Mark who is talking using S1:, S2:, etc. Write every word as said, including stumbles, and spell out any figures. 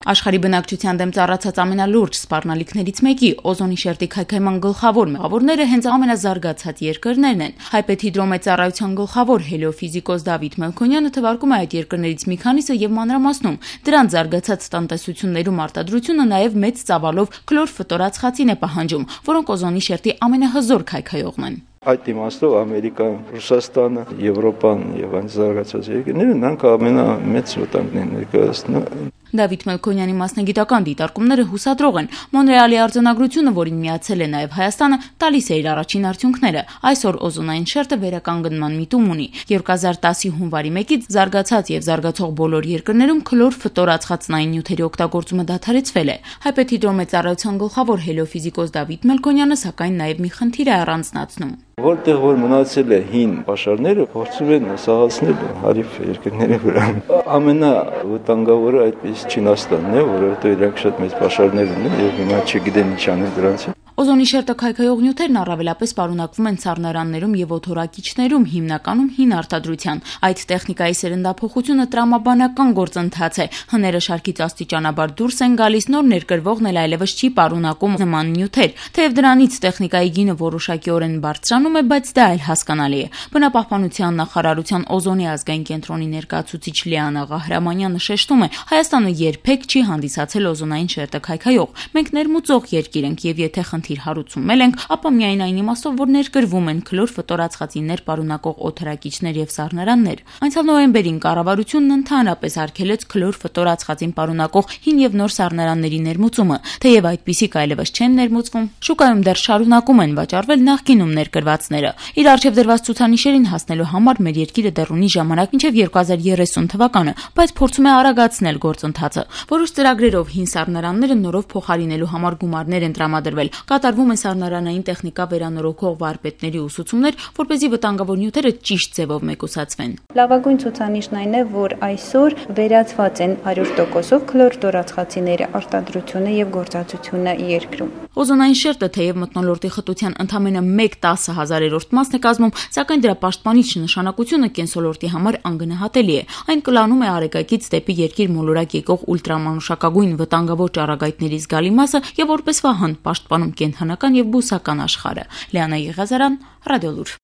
S1: Աշխարհի բնակչության դեմ ծառացած ամենալուրջ սպառնալիքներից մեկի օզոնի շերտի քայքայման գլխավոր մեղավորները հենց ամենազարգացած երկրներն են։ Հայպետ հիդրոմեծառայության գլխավոր հելիոֆիզիկոս Դավիթ Մելքոնյանը թվարկում է այդ երկրներից մի քանիսը եւ մանրամասնում դրանց զարգացած տնտեսություններում արտադրությունը նաեւ մեծ ծավալով քլոր ֆտորած խացին է պահանջում, որոնք օզոնի շերտի ամենահզոր քայքայողն են։
S2: Այդ իմաստով Ամերիկան, Ռուսաստանը, Եվրոպան եւ այն զարգացած երկրները նրանք ամենամեծ վտանգն են ներկայացնում։
S1: Դավիթ Մելքոնյանի մասնագիտական դիտարկումները հուսադրող են։ Մոնրեալի արձանագրությունը, որին միացել է նաև Հայաստանը, տալիս է իր առաջին արդյունքները։ Այսօր օզոնային շերտը վերականգնման միտում ունի։ երկու հազար տասի հունվարի մեկից զարգացած եւ զարգացող բոլոր երկրներում քլոր ֆտորած խածնային նյութերի օգտագործումը դադարեցվել է։ Հայպետ հիդրոմեծառայության գլխավոր հելիոֆիզիկոս Դավիթ Մելքոնյանը սակայն նաև մի խնդիր է առանձնացնում։
S2: Որտեղ որ մնացել է հին պաշարները, փորձում են սաղացնել հարիվ երկրների վրա։ Ամենավտանգավորը այդպես Չինաստանն է, որովհետեւ իրանք շատ մեծ պաշարներ ունեն եւ հիմա չգիտեն ինչ անեն դրանց։
S1: Օզոնի շերտը քայքայող նյութերն առավելապես պարունակվում են սառնարաններում եւ օդորակիչներում, հիմնականում հին արտադրության։ Այդ տեխնիկայի սերնդափոխությունը տրամաբանական գործընթաց է։ Հները շարքից աստիճանաբար դուրս են գալիս, նոր ներկրվողն էլ այլևս չի պարունակում նման նյութեր։ Թեև դրանից տեխնիկայի գինը որոշակիորեն բարձրանում է, բայց դա այլ հասկանալի է։ Բնապահպանության նախարարության օզոնի ազգային կենտրոնի ներկայացուցիչ Լիանա Ղահրամանյանը շեշտում է, Հայաստանը երբեք չի հանդիսացել օզոնային շերտը քայքայող։ Մենք ներմուծող երկիր ենք եւ եթե խնդիր հարուցում ենք, ապա միայն այն իմաստով, որ ներկրվում են քլոր ֆտորած խածիներ պարունակող օդորակիչներ եւ սառնարաններ։ Անցյալ նոյեմբերին կառավարությունն ընդհանրապես արգելեց քլոր ֆտորած խածին պարունակող հին եւ նոր սառնարանների ներմուծումը, թեև այդպիսիք այլևս չեն ներմուծվում, շուկայում դեռ շարունակում են վաճառվել նախկինում ներկրվածները։ Իր առջև դրված ցուցանիշերին հասնելու համար մեր երկիրը դեռ ունի ժամանակ մինչև երկու հազար երեսուն թվականը, բայց փորձում է արագացնել գործընթացը։ Որոշ ծրագրերով հին սառնարանները նորով փոխարինելու համար գումարներ են տրամադրվել։ Կատարվում են սառնարանային տեխնիկա վերանորոգող վարպետների ուսուցումներ, որպեսզի վտանգավոր նյութերը ճիշտ ձևով մեկուսացվեն։
S3: Լավագույն ցուցանիշն այն է, որ այսօր վերացված են հարյուր տոկոսով քլոր ֆտորածխածիների արտադրությունը եւ գործածությունը երկրում։
S1: Օզոնային շերտը թեև մթնոլորտի խտության ընդամենը մեկ տասնհազարերորդ մասն է կազմում, սակայն դրա պաշտպանիչ նշանակությունը կենսոլորտի համար անգնահատելի է։ Այն կլանում է արեգակից դեպի երկիր մոլորակ եկող ուլտրամանուշակագույն վտանգավոր ճառագայթների զգալի մասը եւ որպես վահան պաշտպանում կենդանական եւ բուսական աշխարհը։ Լիանա Եղազարյան, Ռադիոլուր։